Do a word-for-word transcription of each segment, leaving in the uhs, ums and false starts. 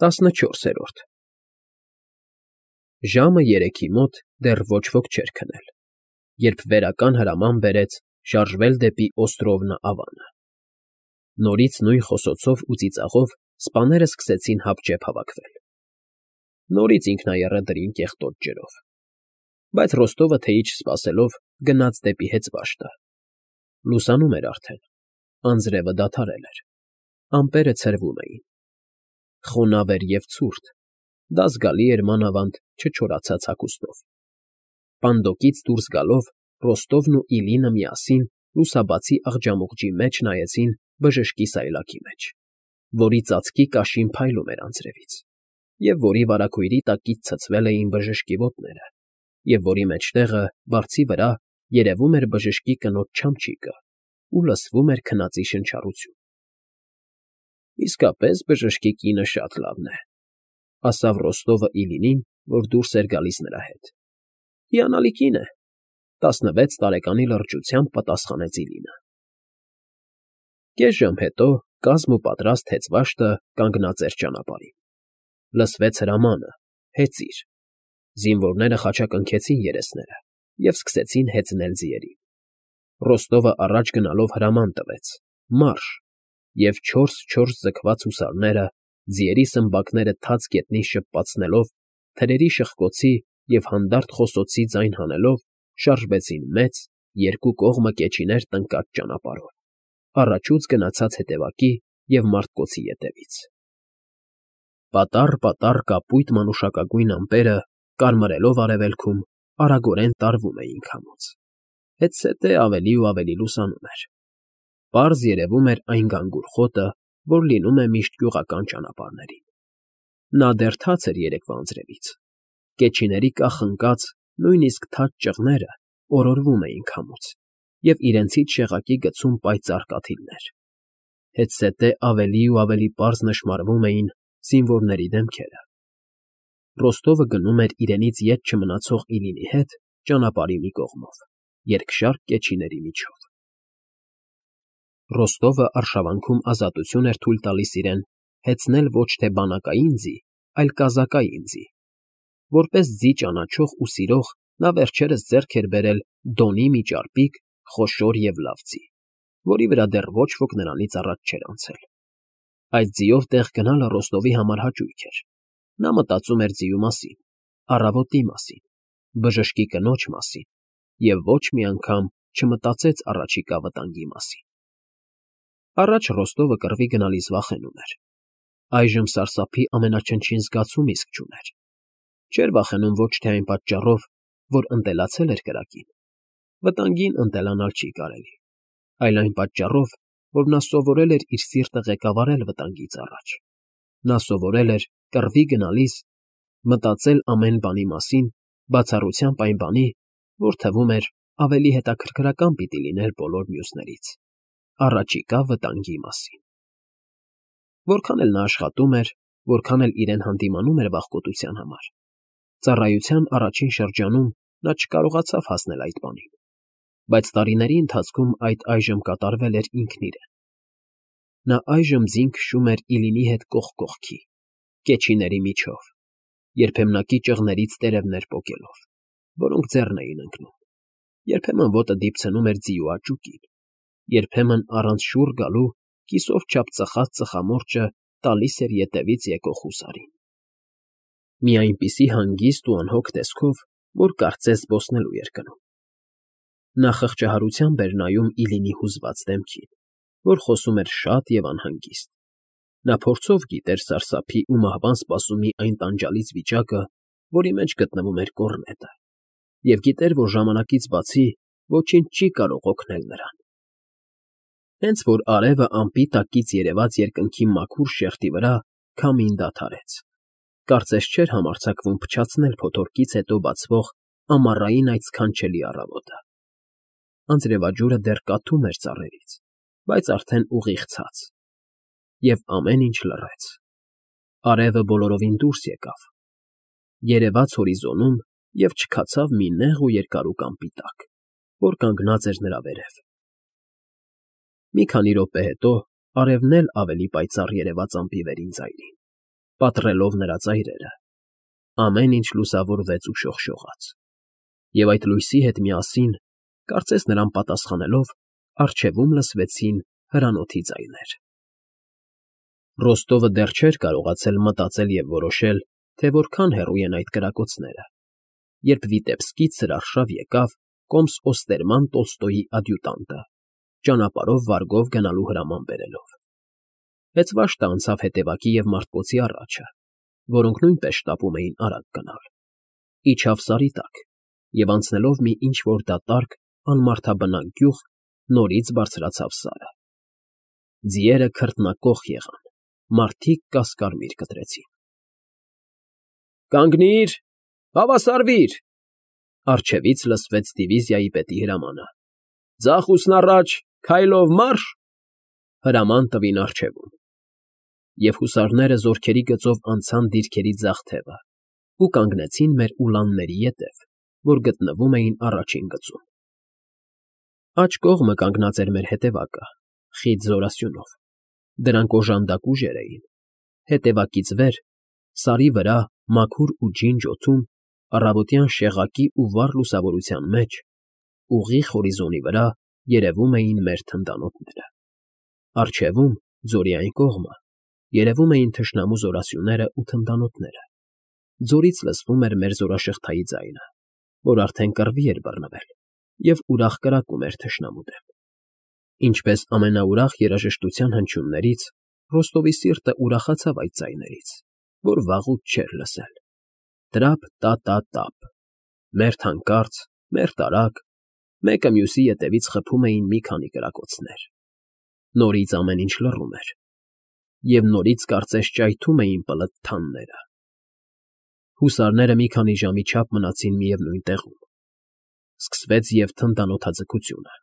տասնչորսերորդ Ժամը երեքի մոտ դեռ ոչ ոք չէր քնել, երբ վերական հրաման բերեց շարժվել դեպի Օստրովնա ավանը։ Նորից նույն խոսոցով ու ծիծաղով սպաները սկսեցին հապճեպ հավաքվել։ Նորից ինքնաեռը դրին կեղտոտ ջրով, բայց Ռոստովը թեյի չսպասելով գնաց դեպի հեծվաշտը։ Լուսանում էր արդեն, անձրևը դադարել էր, ամպերը ցրվում էին։ Խոնավ էր և ցուրտ, դա զգալի էր մանավանդ չչորացած հագուստով։ Պանդոկից դուրս գալով Ռոստովն ու Իլինը միասին լուսաբացի աղջամուղջի մեջ նայեցին բժշկի սայլակի մեջ, որի ծածկի կաշին փայլում էր անձրևից, և որի վարագույրի տակից ցցվել էին բժշկի ոտները, և որի մեջտեղը, բարձի վրա, երևում էր բժշկի կնոջ չամչիկը ու լսվում էր քնածի շնչառություն։ ֊ Իսկապես բժշկի կինը շատ լավն է, ֊ ասավ Ռոստովը Իլինին, որ դուրս էր գալիս նրա հետ։ ֊ Հիանալի կին է, ֊ տասնվեց տարեկանի լրջությամբ պատասխանեց Իլինը։ Կես ժամ հետո կազմ ու պատրաստ հեծվաշտը կանգնած էր ճանապարհին։ Լսվեց հրամանը՝ հեծիր։ Զինվորները խաչակնքեցին երեսները և սկսեցին հեծնել ձիերին։ Ռոստովը առաջ գնալով հրաման տվեց՝ մարշ, և չորս֊չորս ձգված հուսարները, ձիերի սմբակները թաց գետնին շպպացնելով, թրերի շխկոցի և հանդարտ խոսոցի ձայն հանելով, շարժվեցին մեծ, երկու կողմը կեչիներ տնկած ճանապարհով, առաջուց գնացած հետևակի և մարդկոցի ետևից։ Պատառ֊պատառ կապույտ մանուշակագույն ամպերը, կարմրելով արևելքում, արագորեն տարվում էին քամուց, հետզհետե ավելի ու ավելի լուսանում էր։ Պարզ երևում էր այն գանգուր խոտը, որ լինում է միշտ գյուղական ճանապարհներին։ Նա դեռ թաց էր երեկվա անձրևից, կեչիների կախ ընկած, նույնիսկ թաց ճղները օրորվում էին քամուց, և իրենցից շեղակի գցում պայծառ կաթիլներ։ Հետզհետե ավելի ու ավելի պարզ նշմարվում էին զինվորների դեմքերը։ Ռոստովը գնում էր իրենից ետ չմնացող Իլինի հետ ճանապարհի մի կողմով, երկշարք կեչիների միջով։ Ռոստովը արշավանքում ազատություն էր թույլ տալիս իրեն հեծնել ոչ թե բանակային ձի, այլ կազակային ձի։ Որպես ձի ճանաչող ու սիրող նա վերջերս ձեռք էր բերել Դոնի մի ճարպիկ, խոշոր և լավ ձի, որի վրա դեռ ոչ ոք նրանից առաջ չէր անցել։ Այդ ձիով տեղ գնալը Ռոստովի համար հաճույք էր։ Նա մտածում էր ձիու մասին, առավոտի մասին, բժշկի կնոջ մասին և ոչ մի անգամ չմտածեց առաջիկա վտանգի մասին։ Առաջ Ռոստովը կռվի գնալիս վախենում էր։ Այժմ սարսափի ամենաչնչին զգացում իսկ չուներ։ Չէր վախենում ոչ թե այն պատճառով, որ ընտելացել էր կրակին, վտանգին ընտելանալ չի կարելի, այլ այն պատճառով, որ նա սովորել էր իր սիրտը ղեկավարել վտանգից առաջ։ Նա սովորել էր կռվի գնալիս մտածել ամեն բանի մասին, բացառությամբ այն բանի, որ թվում էր ավելի հետաքրքրական պիտի լիներ բոլոր մյուսներից՝ առաջիկա վտանգի մասին։ Որքան էլ նա աշխատում էր, որքան էլ իրեն հանդիմանում էր վախկոտության համար, ծառայության առաջին շրջանում նա չկարողացավ հասնել այդ բանին, բայց տարիների ընթացքում այդ այժմ կատարվել էր ինքն իրեն։ Նա այժմ ձին քշում էր Իլինի հետ կողք կողքի, կեչիների միջով, երբեմնակի ճղներից տերևներ պոկելով, որոնք ձեռն էին ընկնում, երբեմն ոտը դիպցնում էր ձիու աճուկին, երբեմն առանց շուռ գալու կիսով չափ ծխած ծխամորճը տալիս էր ետևից եկող հուսարին։ Մի այնպիսի հանգիստ ու անհոգ տեսքով, որ կարծես զբոսնելու էր գնում։ Նա խղճահարությամբ էր նայում Իլինի հուզված դեմքին, որ խոսում էր շատ և անհանգիստ։ Նա փորձով գիտեր սարսափի ու մահվան սպասումի այն տանջալից վիճակը, որի մեջ գտնվում էր կոռնետը, և գիտեր, որ ժամանակից բացի ոչինչ չի կարող օգնել նրան։ Հենց որ արևը ամպի տակից երևաց երկնքի մաքուր շերտի վրա քամին դադարեց, կարծես չէր համարձակվում փչացնել փոթորկից հետո բացվող ամառային այդ սքանչելի առավոտը։ Անձրևաջուրը դեռ կաթում էր ծառերից, բայց արդեն ուղիղ ցած, և ամեն ինչ լռեց։ Արևը բոլորովին դուրս եկավ, երևաց հորիզոնում և չքացավ մի նեղ ու երկարուկ ամպի տակ, որ կանգնած էր նրա վերև։ Մի քանի րոպե հետո արևն էլ ավելի պայծառ երևաց ամպի վերին ծայրին, պատռելով նրա ծայրերը։ Ամեն ինչ լուսավորվեց ու շողշողաց, և այդ լույսի հետ միասին, կարծես նրան պատասխանելով, առջևում լսվեցին հրանոթի ձայներ։ Ռոստովը դեռ չէր կարողացել մտածել և որոշել, թե որքան հեռու են այդ կրակոցները, երբ Վիտեբսկից հրաշավ եկավ կոմս֊օստերման Տոլստոյի ադյուտանտը, ճանապարհով վարգով գնալու հրաման բերելով։ Հեծվաշտը անցավ հետևակի և մարտկոցի առաջը, որոնք նույնպես շտապում էին արագ գնալ, իջավ սարի տակ և, անցնելով մի ինչ֊որ դատարկ, անմարդաբնակ գյուղ, նորից բարձրացավ սարը։ Ձիերը քրտնակոխ եղան, մարդիկ կասկարմիր կտրեցին։ ֊ Կանգնի՛ր, հավասարվի՛ր,֊ առջևից լսվեց դիվիզիայի պետի հրամանը։ ֊ Ձախուսն առաջ, քայլով մա՛ռշ… Հրաման տվին առջևում, և հուսարները զորքերի գծով անցան դիրքերի ձախ թևը ու կանգնեցին մեր ուլանների ետև, որ գտնվում էին առաջին գծում։ Աջ կողմը կանգնած էր մեր հետևակը, խիտ զորասյունով, դրանք օժանդակ ուժեր էին, հետևակից վեր, սարի վրա, մաքուր ու ջինջ օդում, առավոտյան շեղակի ու վառ լուսավորության մեջ, ուղիղ հորիզոնի վրա երևում էին մեր թնդանոթները։ Առջևում, ձորի այն կողմը, երևում էին թշնամու զորասյուներն ու թնդանոթները, ձորից լսվում էր մեր զորաշղթայի ձայնը, որ արդեն կռվի էր բռնվել և ուրախ կրակում էր թշնամու դեմ։ Ինչպես ամենաուրախ երաժշտության հնչյուններից, Ռոստովի սիրտը ուրախացավ այդ ձայներից, որ վաղուց չէր լսել. տրափ֊տա֊տա֊տափ, մերթ հանկարծ, մերթ արագ, մեկը մյուսի ետևից խփում էին մի քանի կրակոցներ։ Նորից ամեն ինչ լռում էր, և նորից կարծես ճայթում էին պլթ֊թանները։ Հուսարները մի քանի ժամի չափ մնացին միևնույն տեղում։ Սկսվեց և թնդանոթաձգությունը։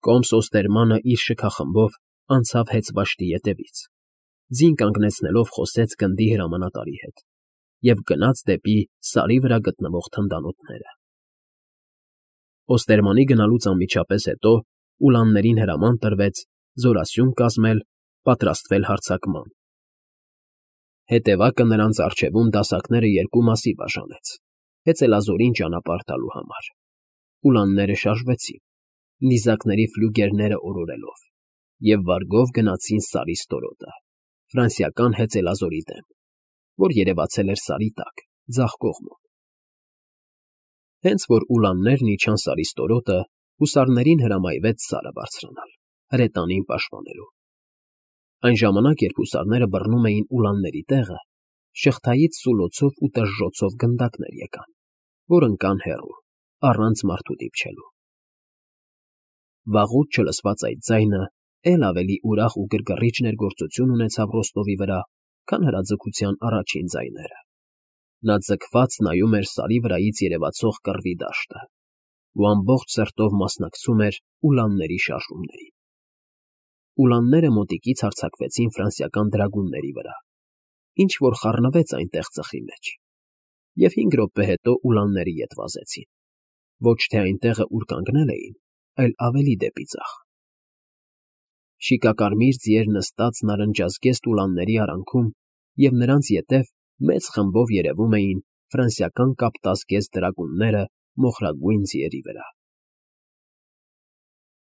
Կոմս֊օստերմանը իր շքախմբով անցավ հեծվաշտի ետևից, ձին կանգնեցնելով խոսեց գնդի հրամանատարի հետ և գնաց դեպի սարի վրա գտնվող թնդանոթները։ Օստերմանի գնալուց անմիջապես հետո ուլաններին հրաման տրվեց զորասյուն կազմել, պատրաստվել հարձակման։ Հետևակը նրանց առջևում դասակները երկու մասի բաժանեց՝ հեծելազորին ճանապարհ տալու համար։ Ուլանները շարժվեցին, նիզակների ֆլյուգերները օրորելով, և վարգով գնացին Սարի ստորոտը, ֆրանսիական հեծելազորի դեմ, որ երևացել էր սարի տակ, ձախ կողմում։ Հենց որ ուլաններն իջան Սարի ստորոտը, հուսարներին հրամայվեց Սարը բարձրանալ, հրետանին պաշտպանելու։ Այն ժամանակ, երբ հուսարները բռնում էին ուլանների տեղը, շղթայից սուլոցով ու տժժոցով գնդակներ եկան, որ ընկան հեռու, առանց մարդու դիպչելու։ Վաղուց չլսված այդ ձայնը էլ ավելի ուրախ ու գրգռիչ ներգործություն ունեցավ Ռոստովի վրա, քան հրաձգության առաջին ձայները։ Նա ձգված նայում էր Սարի վրայից երևացող կռվի դաշտը ու ամբողջ սրտով մասնակցում էր ուլանների շարժումներին։ Ուլանները մոտիկից հարձակվեցին ֆրանսիական դրագունների վրա, ինչ֊որ խառնվեց այնտեղ ծխի մեջ, և հինգ րոպե հետո ուլանների ետ վազեցին, ոչ թե այն տեղը, ուր կանգնել էին, այլ ավելի դեպի ձախ։ Շիկակարմիր ձիեր նստած նարնջազգեստ ուլանների արանքում և նրանց ետև մեծ խմբով երևում էին ֆրանսիական կապտասգեստ դրագունները մոխրագույն ձիերի վրա։